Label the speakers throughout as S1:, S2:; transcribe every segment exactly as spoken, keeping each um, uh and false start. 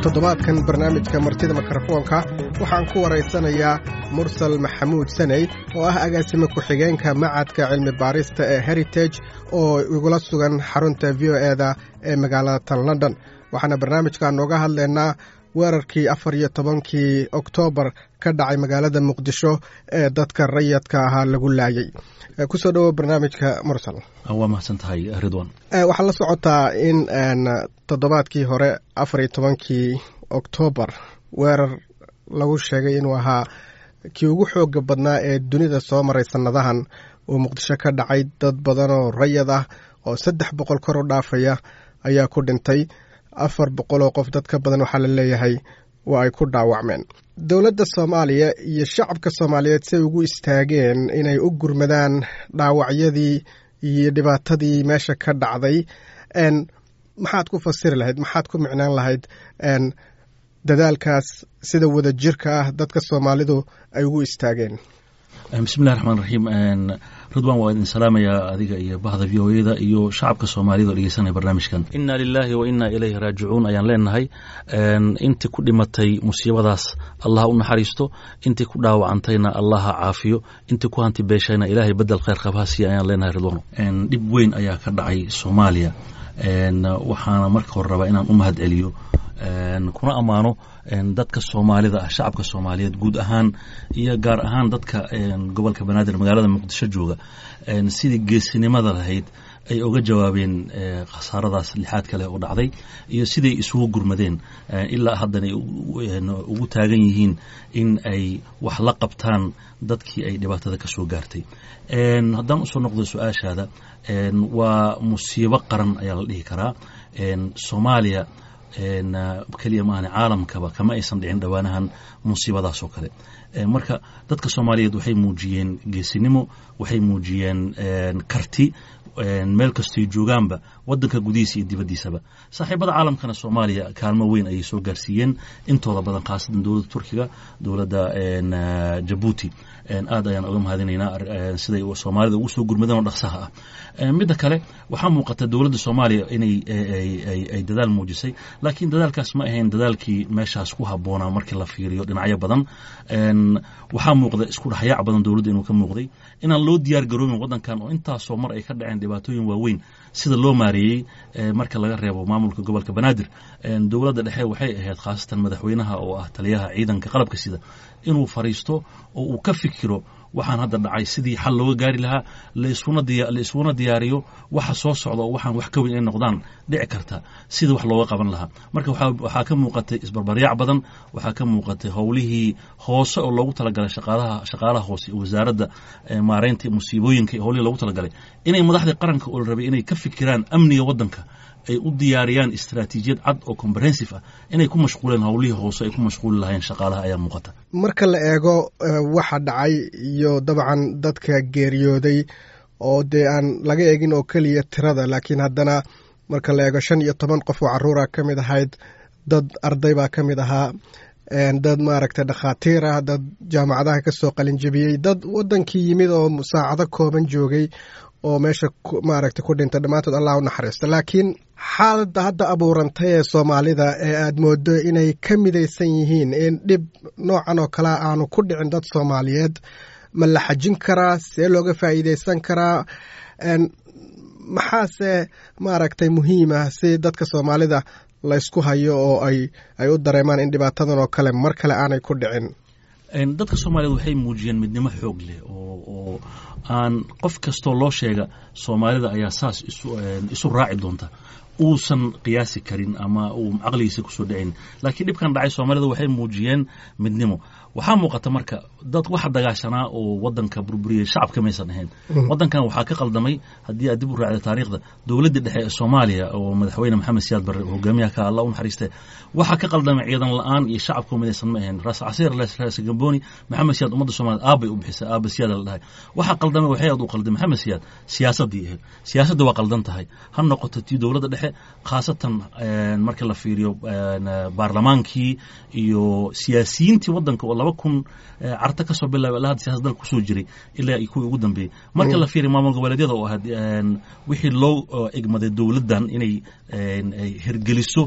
S1: Toddobaadkan barnaamijka Martida Mikrofoonka waxaan ku waraysanayaa Mursal Maxamuud Saney, oo ah agaasime ku-xigeenka Macadka Cilmi Baarista ee Heritage, oo igula sugan xarunta V O E da ee magaalada tan London. Waxaana barnaamijka nooga hadlaynaa weerarkii afar iyo tobankii Oktoobar ka dhacay magaalada Muqdisho ee dadka rayadka ahaa lagu laayay. Kusoo dhowo barnaamijka, Mursal.
S2: Waa mahadsan tahay, Ridwan.
S1: Waxaa la socotaa in toddobaadkii hore, afar iyo tobankii Oktoobar, weerar lagu sheegay inuu ahaa kii ugu xooga badnaa ee dunida soo maray sannadahan uu Muqdisho ka dhacay. Dad badan oo rayad ah oo saddex boqol kor u dhaafaya ayaa ku dhintay, afar boqol oo qof dad ka badan waxaa la leeyahay waa ay ku dhaawacmeen. Dowladda Soomaaliya iyo shacabka Soomaaliyeed say ugu istaageen inay u gurmadaan dhaawacyadii iyo dhibaatadii meesha ka dhacday, maxaad ku fasiri lahayd? Maxaad ku micnaan lahayd dadaalkaas sida wada jirka ah dadka Soomaalidu ay ugu istaageen?
S2: Bismillahi raxmaan raxiim. Ridwan, waa idin salaamayaa adiga iyo bahda V O E da iyo shacabka Soomaalida oo dhegeysanaya barnaamijkan. Inna lilahi wa inna ilayhi raajicuun ayaan leenahay. Intii ku dhimatay musiibadaas Allah u naxariisto, intii ku dhaawacantayna Allaha caafiyo, intii ku hanti beeshayna Ilaahay bedel khayr qab ha siiya ayaan leenahay. Ridwano, dhib weyn ayaa ka dhacay Soomaaliya. Waxaana marka hore rabaa inaan u mahad celiyo kuna ammaano dadka Soomaalida ah, shacabka Soomaaliyeed guud ahaan iyo gaar ahaan dadka gobolka Banaadir, magaalada Muqdisho jooga, sidii geesinimada lahayd ay uga jawaabeen khasaaradaas lixaad kale oo dhacday iyo siday isugu gurmadeen, ilaa haddana ay ugu taagan yihiin in ay wax la qabtaan dadkii ay dhibaatada ka soo gaartay. Haddaan usoo noqdo su-aashaada, waa musiibo qaran ayaa la dhihi karaa. Soomaaliya keliya maahane, caalamkaba kama aysan dhicin dhowaanahan musiibadaas oo kale. Marka dadka Soomaaliyeed waxay muujiyeen geesinimo, waxay muujiyeen karti meel kastoy joogaanba, waddanka gudihiisa iyo dibaddiisaba. Saaxiibada caalamkana Soomaaliya kaalmo weyn ayay soo gaarsiiyeen intooda badan, khaasatan dowladda Turkiga, dowladda Jabuuti. Aad ayaan uga mahadinaynaa siday Soomaalida ugu soo gurmadeen oo dhaqsaha ah. Midda kale, waxaa muuqata dowladda Soomaaliya inay ay dadaal muujisay, laakiin dadaalkaas ma ahayn dadaalkii meeshaas ku habboonaa. Markii la fiiriyo dhinacyo badan, waxaa muuqda isku dhexyaac badan dowladda inuu ka muuqday, inaan loo diyaar garoobin waddankan oo intaasoo mar ay ka dhaceen dhibaatooyin waaweyn sida loo maareeyey. Marka laga reebo maamulka gobolka Banaadir, dowladda dhexe waxay ahayd, khaasatan madaxweynaha oo ah taliyaha ciidanka qalabka sida, inuu fariisto oo uu ka fikiro waxaan hadda dhacay sidii xal looga gaari lahaa, la isuna diyaariyo waxa soo socda oo waxaan wax ka weyn ay noqdaan dhici karta sida wax looga qaban lahaa. Marka waxaa ka muuqatay isbarbaryac badan, waxaa ka muuqatay howlihii hoose oo loogu talagalay shaqaalaha shaqaalaha hoose iyo wasaaradda maareynta musiibooyinka iyo howlihii loogu talagalay inay madaxdii qaranka oo la rabay inay ka fikiraan amniga waddanka, ay u diyaariyaan istaraatiijiyad cad oo comprehensive ah, inay ku mashquuleen howlihii hoose ay ku mashquuli lahayn shaqaalaha ayaa muuqata.
S1: Marka la eego waxa dhacay iyo dabcan dadka geeriyooday, oo dee aan laga eegin oo keliya tirada, laakiin haddana marka la eego shan iyo toban qof oo carruura ka mid ahayd, dad arday baa ka mid ahaa, dad maaragtay dhakhaatiir ah, dad jaamacadaha ka soo qalinjebiyey, dad waddankii yimid oo saacado kooban joogay oo meesha maaragtay ku dhintay, dhammaantood Allah u naxariisto. Laakiin xaaladda hadda abuurantay ee Soomaalida ee aad moodo inay ka midaysan yihiin in dhib noocan oo kalea aanu ku dhicin dad Soomaaliyeed, ma la xajin karaa? See looga faa'iidaysan karaa? Maxaase maaragtay muhiim ah si dadka Soomaalida la ysku hayo oo ay ay u dareemaan in dhibaatadan oo kale mar kale aanay ku dhicin?
S2: Dadka Soomaaliyeed waxay muujiyeen midnimo xoog leh oo oo aan qof kastoo loo sheega Soomaalida ayaa saas isu isu raaci doonta uusan qiyaasi karin ama uu caqligiisa kusoo dhicin. Laakiin dhibkan dhacay Soomaalida waxay muujiyeen midnimo. Waxaa muuqata marka dad waxa dagaashanaa oo waddanka burburiyey shacabka maysan ahayn. Waddankan waxaa ka qaldamay, haddii aad dib u raacda taariikhda, dowladda dhexe ee Soomaaliya oo madaxweyne Maxamed Siyaad Barre hogaamiyaha ka, Allah u naxariiste, waxaa ka qaldamay ciidan la-aan iyo shacabka midaysan ma ahayn. Raas Casiir, Raas Gamboni, Maxamed Siyaad ummadda Soomaaliyed aabbay u bixisay, aabba Siyaad la dhahay. Waxaa qaldamay, waxay aad u qalday Maxamed Siyaad siyaasaddii ahayd. Siyaasadda waa qaldan tahay, ha noqoto tii dowladda dhexe. dhexe, khaasatan marka la fiiriyo baarlamaankii iyo siyaasiyiintii waddanka oo laba kun Carta kasoo bilaabay ilaa hadda siyasad dalka kusoo jiray ilaa kuwii ugu dambeeyey. Marka la fiiriyo maamul goboleedyada oo ahayd wixii loo egmaday dowladdan inay hirgeliso,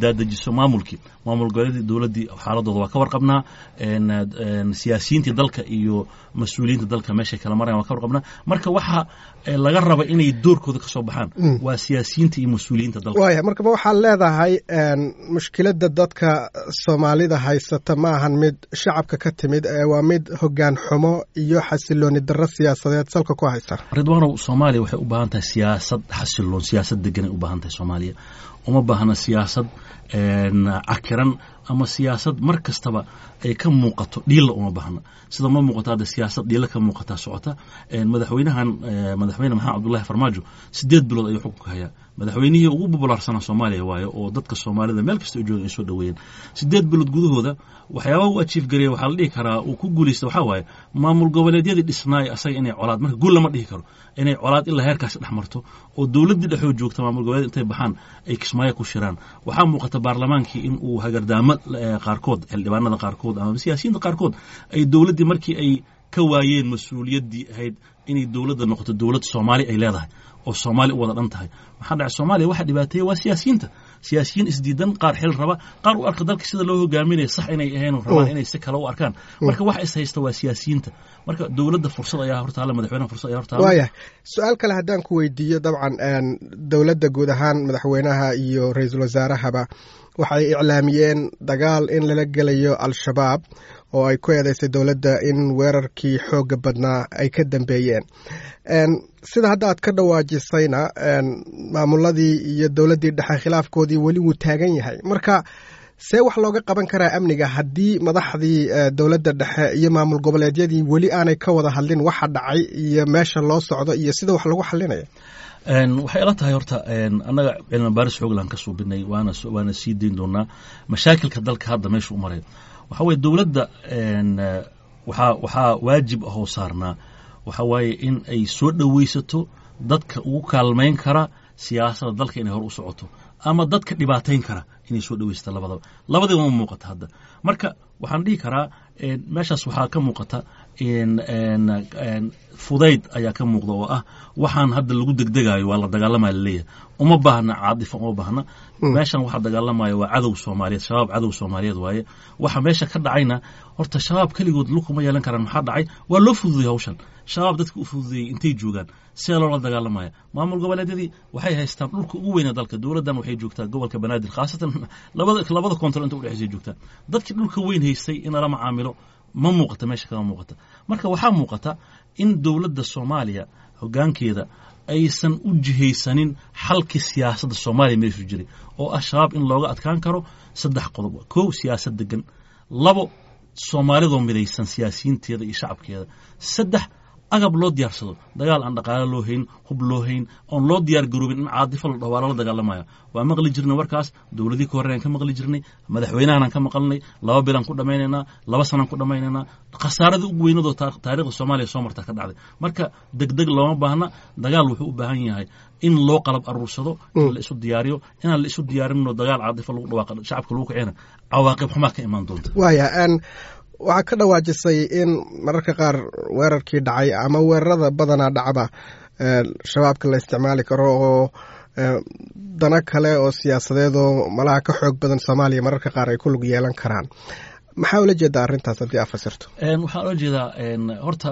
S2: daadejiso maamulkii, maamul goboleedyadii dowladdii xaaladooda waa ka warqabnaa. Siyaasiyiintii dalka iyo mas-uuliyiinta dalka meeshay kala marayan waa ka warqabnaa. Marka waxa laga raba inay doorkooda ka soo baxaan waa siyaasiyiinta iyo mas-uuliyiinta dalka.
S1: Waaya, marka ma waxaad leedahay mushkiladda dadka Soomaalida haysata ma ahan mid shacabka ka timid ee waa mid hoggaan xumo iyo xasilooni darro siyaasadeed salka ku haysa?
S2: Ridwaanow, Soomaaliya waxay u baahan tahay siyaasad xasiloon, siyaasad deganay u baahan tahay. Soomaaliya uma baahna siyaasad cakiran ama siyaasad mar kastaba ay ka muuqato dhiilla, uma baahna. Sida ma muuqato hadda siyaasad dhiilla ka muuqataa socota. Madaxweynahan, Madaxweyne Maxamed Cabdullahi Farmaajo, sideed bilood ayuu xukunka hayaa. Madaxweynihii ugu populaarsanaa Soomaaliya waayo oo dadka Soomaalida meel kasta u jooga ay soo dhoweeyeen. Sideed bilood gudahooda waxyaabaha u achieve gareeya waxaa la dhihi karaa uu ku guulaysta waxaa waaye maamul goboleedyadii dhisnaay asaga inay colaad, marka guul lama dhihi karo, inay colaad ilaa heerkaasi dhex marto oo dowladdii dhexoo joogta maamul goboleed intay baxaan ay Kismaayo ku shiraan. Waxaa muuqata baarlamaankii in uu hagardaamo qaarkood, xildhibaanada qaarkood ama siyaasiyiinta qaarkood ay dowladdii markii ay ka waayeen mas-uuliyaddii ahayd inay dowladda noqoto dowlad Soomaali ay leedahay oo Soomaali u wada dhan tahay. Maxaa dhacay? Soomaaliya waxa dhibaateeya waa siyaasiyiinta, siyaasiyiin isdiidan, qaar xil raba, qaar u arka dalka sida loo hogaaminaya sax inay ahayn, rabaan inay si kale u arkaan. Marka waxa is haysta waa siyaasiyiinta. Marka dowladda fursad ayaa hortaala, madaxweynaha fursad ayaa hortaala.
S1: Waaya, su-aal kale haddaan ku weydiiyo. Dabcan dowladda guud ahaan, madaxweynaha iyo ra-iisul wasaarahaba waxay iclaamiyeen dagaal in lala gelayo Al-Shabaab oo ay ku eedeysay dowladda in weerarkii xoogga badnaa ay ka dambeeyeen. Sida hadda aad ka dhawaajisayna, maamuladii iyo dowladdii dhexe khilaafkoodii weli wuu taagan yahay. Marka see wax looga qaban karaa amniga haddii madaxdii dowladda dhexe iyo maamul goboleedyadii weli aanay ka wada hadlin waxa dhacay iyo meesha loo socdo iyo sida wax lagu xalinaya?
S2: Waxay ila tahay horta annaga cilmi baaris xooglaan ka suubinay, waana waana sii dayn doonaa mashaakilka dalka hadda meesha u marayo. Waxa weye dowladda waxaa waxaa waajib ahoo saarnaa waxa waaye in ay soo dhoweysato dadka ugu kaalmayn kara siyaasadda dalka inay hor u socoto ama dadka dhibaatayn kara inay soo dhoweysato. Labadaba labadiiba ma muuqata hadda. Marka waxaan dhihi karaa meeshaas waxaa ka muuqata fudayd ayaa ka muuqda oo ah waxaan hadda lagu degdegayo waa la dagaalamaya laleeyahay. Uma baahna caadifa, uma baahna. Meeshan waxa dagaalamaya waa cadow Soomaaliyeed, Shabaab cadow Soomaaliyeed waaye. Waxa meesha ka dhacayna horta Shabaab keligood lukuma yeelan karaan. Maxaa dhacay? Waa loo fududeyey hawshan. Shabaab dadka u fududeeyey intay joogaan see loola dagaalamaya? Maamul goboleedyadii waxay haystaan dhulka ugu weyna dalka. Dowladdan waxay joogtaa gobolka Banaadir, khaasatan labada labada koontar inta udhexaysay joogtaa. Dadkii dhulka weyn haystay in lala macaamilo ma muuqata, meesha kama muuqata. Marka waxaa muuqata in dowladda Soomaaliya hoggaankeeda aysan u jihaysanin xalkii siyaasadda Soomaaliya meeshuu jiray oo ah Shabaab in looga adkaan karo saddex qodob: kow, siyaasad degan; labo, Soomaalidoo midaysan siyaasiyiinteeda iyo shacabkeeda; saddex, agab loo diyaarsado. Dagaal aan dhaqaale loo hayn, hub loo hayn, oon loo diyaar garoobin, in caadifo la dhaho waa lala dagaalamaya, waa maqli jirnay warkaas. Dowladii ka horreeyaan ka maqli jirnay, madaxweynahanaan ka maqalnay, laba bilaan ku dhammaynaynaa, laba sanaan ku dhammaynaynaa. Khasaaradii ugu weynadoo taariikhda Soomaaliya soo martaa ka dhacday. Marka degdeg looma baahna. Dagaal wuxuu u baahan yahay in loo qalab aruursado, in la isu diyaariyo. Inaan la isu diyaarinno, dagaal caadifo lagu dhawaaqa, shacabka lagu kicina, cawaaqib xumaa ka imaan doonta.
S1: Waaya, waxaa ka dhawaajisay in mararka qaar weerarkii dhacay ama weerarada badanaa dhacba Shabaabka la isticmaali karo oo dano kale oo siyaasadeed oo malaha ka xoog badan Soomaaliya mararka qaar ay ku lug yeelan karaan. Maxaa ula jeedaa arrintaas haddii aad fasirto?
S2: Waxaan ula jeedaa horta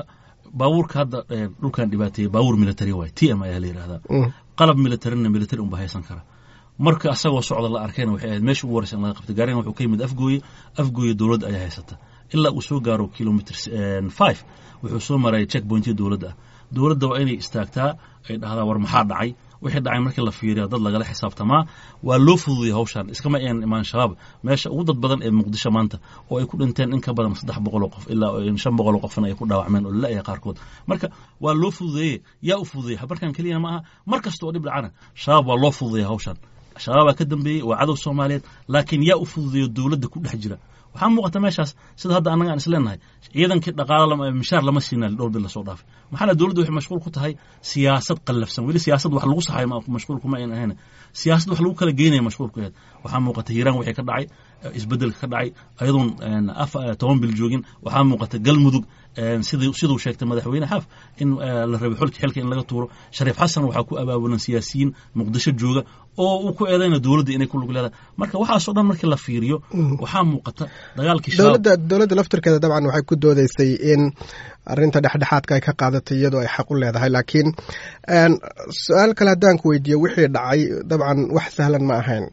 S2: baabuurka hadda dhulkan dhibaateeyey baabuur military waay, T M ayaa la yidhahdaa. Qalab militarina military unba haysan kara. Marka asagoo socda la arkayna waxay ahayd meesha ugu horeysa in laga qabtay. Gaarigan wuxuu ka yimid Afgooye. Afgooye dowladda ayaa haysata. Ilaa uu soo gaaro kilometer five wuxuu soo maraya checkpointiya dowladda ah. Dowladda waa inay istaagtaa, ay dhahdaa war maxaa dhacay? Wixii dhacay markii la fiiriya dad lagala xisaabtamaa. Waa loo fududiyay hawshan, iskama aynan imaan Shabaab meesha ugu dad badan ee Muqdisho maanta oo ay ku dhinteen in ka badan saddex boqol oo qof ilaa shan boqol oo qofna ay ku dhaawacmeen oo la-ya qaarkood. Marka waa loo fududeeyey. Yaa u fududeeyey? Markan keliyana ma aha, mar kasta oo dhib dhacana Shabaab waa loo fududeeyay hawshan. Shabaabaa ka dambeeyey, waa cadow Soomaaliyeed, laakiin yaa u fududeeyo dowladda ku dhex jira? Waxaa muuqata meeshaas sida hadda annaga aan isleenahay ciidankii dhaqaala mishaar lama siina dhowr bil lasoo dhaafay. Maxaa la dowladda waxay mashquul ku tahay siyaasad qallafsan, weli siyaasad wax lagu saxayo mashquul kuma ayn ahayn, siyaasad wax lagu kala geynaya mashquul ku ahayd. Waxaa muuqata Hiiraan wixii ka dhacay, isbeddelka ka dhacay ayadoon toban bil joogin. Waxaa muuqata Galmudug sidii siduu sheegtay madaxweyne Xaaf in la rabay xulka xilka in laga tuuro Shariif Xasan. Waxaa ku abaabulan siyaasiyiin Muqdisho jooga oo uu ku eedayna dowladda inay ku lug leedahay. Marka waxaasoo dhan markii la fiiriyo, waxaa muuqata dagaalkii
S1: dowladda dowladda laftirkeeda dabcan waxay ku doodeysay in arrinta dhexdhexaadka ay ka qaadatay iyadoo ay xaq u leedahay. Laakiin su-aal kale haddaan ku weydiiyo, wixii dhacay dabcan wax sahlan ma ahayn.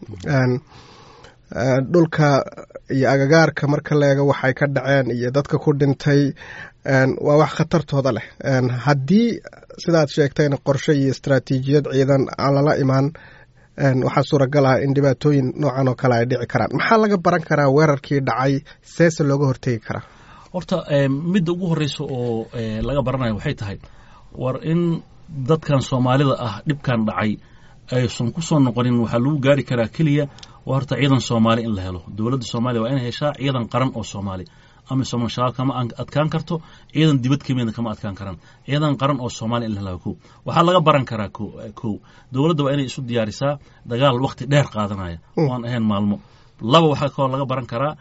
S1: Dhulka iyo agagaarka marka la eego waxay ka dhaceen iyo dadka ku dhintay waa wax khatartooda leh. Haddii sidaad sheegtayna qorshe iyo istaraatiijiyad ciidan aan lala imaan, waxaa suuragal ah in dhibaatooyin noocan oo kale ay dhici karaan. Maxaa laga baran karaa weerarkii dhacay, seese looga hortegi karaa?
S2: Horta midda ugu horreysa oo laga baranayo waxay tahay war in dadkan Soomaalida ah dhibkan dhacay aysan ku soo noqonin. Waxaa lagu gaari karaa keliya waa horta ciidan Soomaali in la helo. Dowladda Soomaaliya waa inay heshaa ciidan qaran oo Soomaali. AMISOM Shabaab kama adkaan karto, ciidan dibad kamidna kama adkaan karaan. Ciidan qaran oo Soomaaliya in la helo kow. Waxaa laga baran karaa kow, dowladda waa inay isu diyaarisaa dagaal waqti dheer qaadanaya oo aan ahayn maalmo. Laba, waxaa kaloo laga baran karaa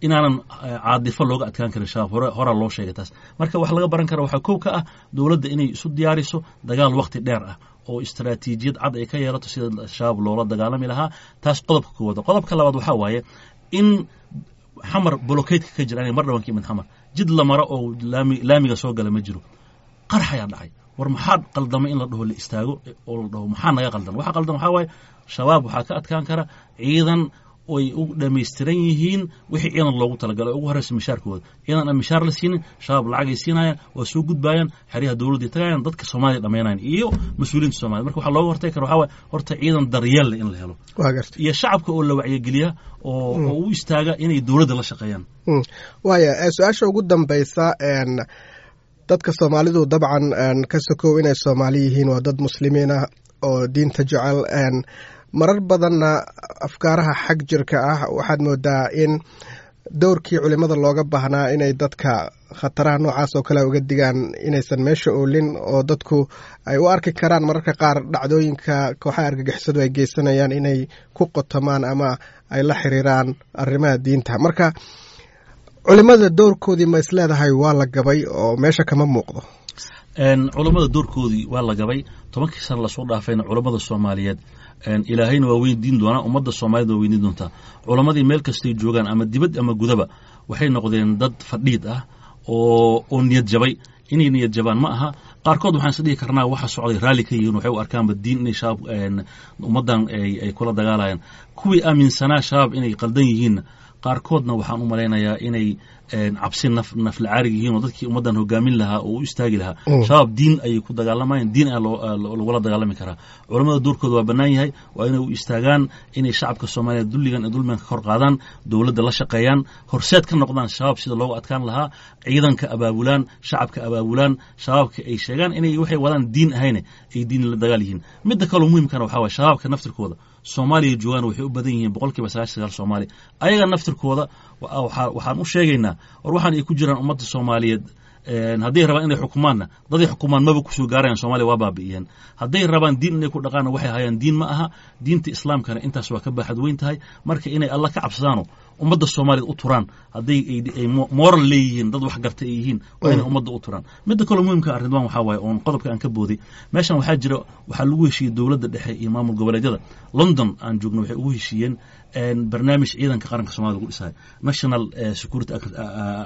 S2: inaanan caadifo looga adkaan karin Shabaab, hore horaa loo sheegay taas. Marka wax laga baran kara waxaa kow ka ah dowladda inay isu diyaariso dagaal waqti dheer ah oo istaraatiijiyad cad ay ka yeelato sida Shabaab loola dagaalami lahaa. Taas qodobka koowaad. Qodobka labaad waxaa waaye in Xamar blockade-ka ka jira. Aniga mar dhawan ka imid Xamar, jid la maro oo laami laamiga soo gala ma jiro. Qarax ayaa dhacay, war maxaa qaldamay in la dhaho, la istaago oo la dhaho maxaa naga qaldan? Waxa qaldan waxaa waaye Shabaab waxaa ka adkaan kara ciidan oy u dhammaystiran yihiin wixii ciidan loogu talagalay, ugu horreysa mishaarkooda. Ciidan aan mishaar la siinin, Shabaab lacagay siinayaan, waa soo gudbayaan, xeryaha dowladday tagayaan, dadka Soomaaliya dhammaynayaan iyo mas-uuliyiinta Soomaliya. Marka waxaa looga hortagi kara waxaa waaye horta ciidan daryeel leh in la helo iyo shacabka oo la wacyigeliya oo oo u istaaga inay dowladda la shaqeeyaan.
S1: Waaya, su-aasha ugu dambeysa, dadka Soomaalidu dabcan ka sokow inay Soomaali yihiin waa dad muslimiin ah oo diinta jecel. Marar badanna afkaaraha xag jirka ah waxaad moodaa in dowrkii culimada looga baahnaa inay dadka khataraha noocaas oo kale uga digaan inaysan meesha oolin, oo dadku ay u arki karaan mararka qaar dhacdooyinka kooxaha argagixisadu ay geysanayaan inay ku qotomaan ama ay la xiriiraan arrimaha diinta. Marka culimada dowrkoodii ma isleedahay waa la gabay oo meesha kama muuqdo?
S2: Culammada doorkoodii waa la gabay tobankii sana lasoo dhaafayna. Culammada Soomaaliyeed Ilaahayna waa weydiin doonaa, ummadda Soomaaliyed waa weydiin doontaa. Culammadii meel kastay joogaan, ama dibad ama gudaba, waxay noqdeen dad fadhiid ah oo oo niyad jabay. Inay niyad jabaan ma aha. Qaarkood waxaan is dhihi karnaa waxa socday raalli ka yihiin, waxay u arkaanba diin inay Shabaab ummaddan ay kula dagaalayaan. Kuwii aaminsanaa Shabaab inay qaldan yihiinna, qaarkoodna waxaan u malaynayaa inay cabsi naf naflacaarig yihiin oo dadkii ummaddan hogaamin lahaa oo u istaagi lahaa. Shabaab diin ayay ku dagaalamayaan, diin ayaa lagula dagaalami karaa. Culammada doorkooda waa bannaan yahay, waa inay u istaagaan inay shacabka Soomaaliyeed dulligan ee dulmigan ka kor qaadaan, dowladda la shaqeeyaan, horseed ka noqdaan Shabaab sida loogu adkaan lahaa, ciidanka abaabulaan, shacabka abaabulaan, shabaabka ay sheegaan inay waxay wadaan diin ahayne ay diin la dagaal yihiin. Midda kaloo muhimkana waxaa waye shabaabka naftirkooda Soomaaliya joogaan waxay u badan yihiin boqolkiiba sagaashan sagaal Soomaaliya. Ayaga naftirkooda waxaan u sheegaynaa war waxaan ay ku jiraan ummadda Soomaaliyeed. Hadday rabaan inay xukumaanna, daday xukumaan maba kusoo gaarayaan, Soomaaliya waa baabi'iyeen. Hadday rabaan diin inay ku dhaqaanna, waxay hayaan diin ma aha, diinta Islaamkana intaas waa ka baaxad weyn tahay. Marka inay Alla ka cabsadaano, ummadda Soomaaliyeed u turaan, hadday ay moral leeyihiin, dad wax garta ay yihiin, waa inay ummadda u turaan. Midda kaloo muhimka ah, Ridwan, waxaa waaye oon qodobka aan ka booday meeshan, waxaa jira waxaa lagu heshiiyey dowladda dhexe iyo maamul goboleedyada London aan joogno, waxay ugu heshiiyeen barnaamij ciidanka qaranka Somalida lagu dhisayo, national security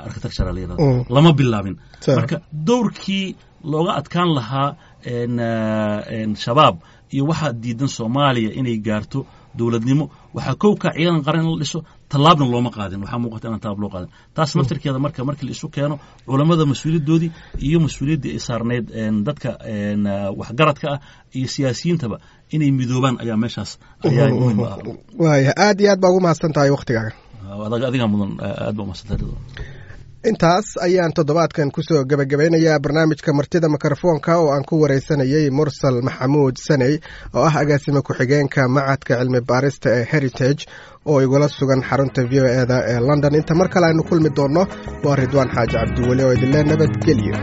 S2: architecture la yirahdo. Lama bilaabin. Marka dowrkii looga adkaan lahaa Shabaab iyo waxaa diidan Soomaaliya inay gaarto dowladnimo, waxaa kow ka ciidan qaran in la dhiso. Tallaabna looma qaadin, waxaa muuqata inaan tallaab loo qaadin taas naftirkeeda. Marka markii la isu keeno culammada mas-uuliyaddoodii iyo mas-uuliyaddii ay saarnayd dadka waxgaradka ah iyo siyaasiyiintaba inay midoobaan ayaa meeshaas ayaa muhiim ah.
S1: Waaya, aad iyo aad baa ugu mahadsan tahay waktigaaga.
S2: Adigaa mudan, aad baa umahadsan tahay.
S1: Intaas ayaan toddobaadkan kusoo gebagabeynayaa barnaamijka martida mikrofoonka oo aan ku wareysanayey Mursal Maxamuud Saney oo ah agaasime ku-xigeenka macadka cilmi baarista ee Heritage oo igula sugan xarunta V O e da ee London. Inta mar kale aynu kulmi doonno, waa Ridwaan Xaaji Cabdiweli oo idinle nabadgelyo.